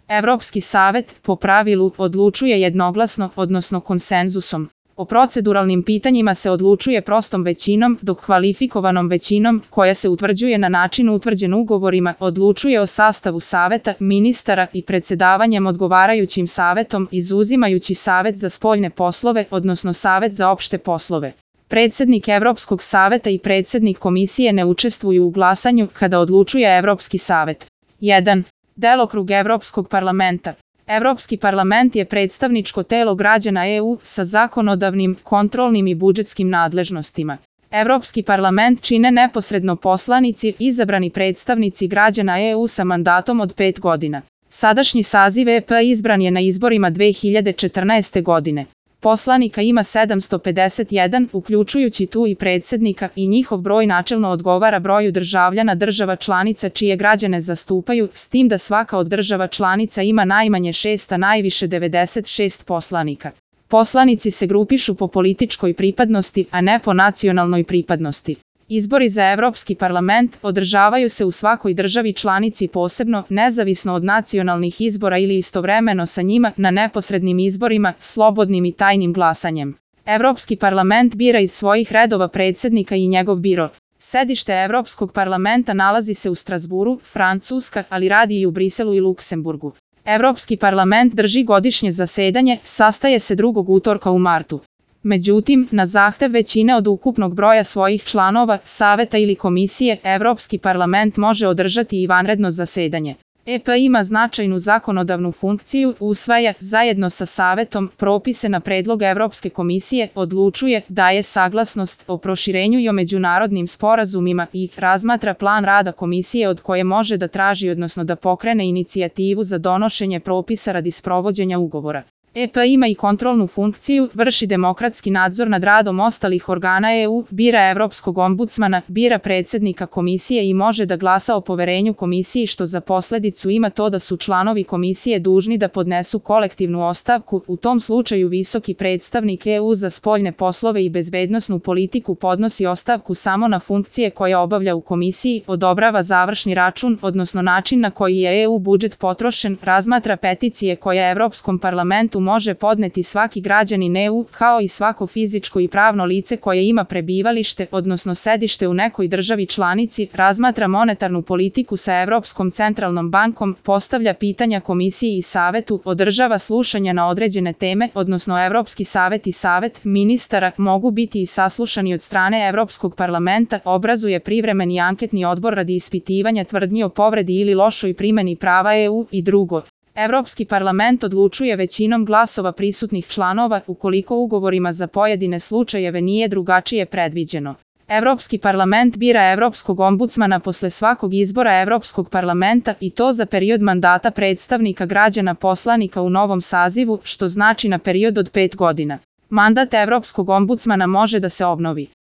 Evropski savet, po pravilu, odlučuje jednoglasno, odnosno konsenzusom. O proceduralnim pitanjima se odlučuje prostom većinom, dok kvalifikovanom većinom, koja se utvrđuje na način utvrđen ugovorima, odlučuje o sastavu saveta, ministara i predsedavanjem odgovarajućim savetom, izuzimajući Savet za spoljne poslove, odnosno Savet za opšte poslove. Predsednik Evropskog saveta i predsednik komisije ne učestvuju u glasanju kada odlučuje Evropski savet. 1. Delokrug Evropskog parlamenta. Evropski parlament je predstavničko telo građana EU sa zakonodavnim, kontrolnim i budžetskim nadležnostima. Evropski parlament čine neposredno poslanici, izabrani predstavnici građana EU sa mandatom od 5 godina. Sadašnji saziv EP izbran je na izborima 2014. godine. Poslanika ima 751, uključujući tu i predsednika, i njihov broj načelno odgovara broju državljana država članica čije građane zastupaju, s tim da svaka od država članica ima najmanje 6, a najviše 96 poslanika. Poslanici se grupišu po političkoj pripadnosti, a ne po nacionalnoj pripadnosti. Izbori za Evropski parlament održavaju se u svakoj državi članici posebno, nezavisno od nacionalnih izbora ili istovremeno sa njima, na neposrednim izborima, slobodnim i tajnim glasanjem. Evropski parlament bira iz svojih redova predsednika i njegov biro. Sedište Evropskog parlamenta nalazi se u Strasburu, Francuska, ali radi i u Briselu i Luksemburgu. Evropski parlament drži godišnje zasedanje, sastaje se drugog utorka u martu. Međutim, na zahtev većine od ukupnog broja svojih članova, saveta ili komisije, Evropski parlament može održati i vanredno zasedanje. EP ima značajnu zakonodavnu funkciju, usvaja, zajedno sa savetom, propise na predlog Evropske komisije, odlučuje, daje saglasnost o proširenju i o međunarodnim sporazumima i razmatra plan rada komisije od koje može da traži odnosno da pokrene inicijativu za donošenje propisa radi sprovođenja ugovora. EP ima i kontrolnu funkciju, vrši demokratski nadzor nad radom ostalih organa EU, bira Evropskog ombudsmana, bira predsednika komisije i može da glasa o poverenju komisiji, što za posledicu ima to da su članovi komisije dužni da podnesu kolektivnu ostavku. U tom slučaju visoki predstavnik EU za spoljne poslove i bezbednosnu politiku podnosi ostavku samo na funkcije koje obavlja u komisiji, odobrava završni račun, odnosno način na koji je EU budžet potrošen, razmatra peticije koje Evropskom parlamentu može podneti svaki građanin EU, kao i svako fizičko i pravno lice koje ima prebivalište, odnosno sedište u nekoj državi članici, razmatra monetarnu politiku sa Evropskom centralnom bankom, postavlja pitanja komisiji i savetu, održava slušanja na određene teme, odnosno Evropski savet i savet ministara mogu biti i saslušani od strane Evropskog parlamenta, obrazuje privremeni anketni odbor radi ispitivanja tvrdnji o povredi ili lošoj primeni prava EU i drugo. Evropski parlament odlučuje većinom glasova prisutnih članova, ukoliko ugovorima za pojedine slučajeve nije drugačije predviđeno. Evropski parlament bira Evropskog ombudsmana posle svakog izbora Evropskog parlamenta i to za period mandata predstavnika građana poslanika u novom sazivu, što znači na period od 5 godina. Mandat Evropskog ombudsmana može da se obnovi.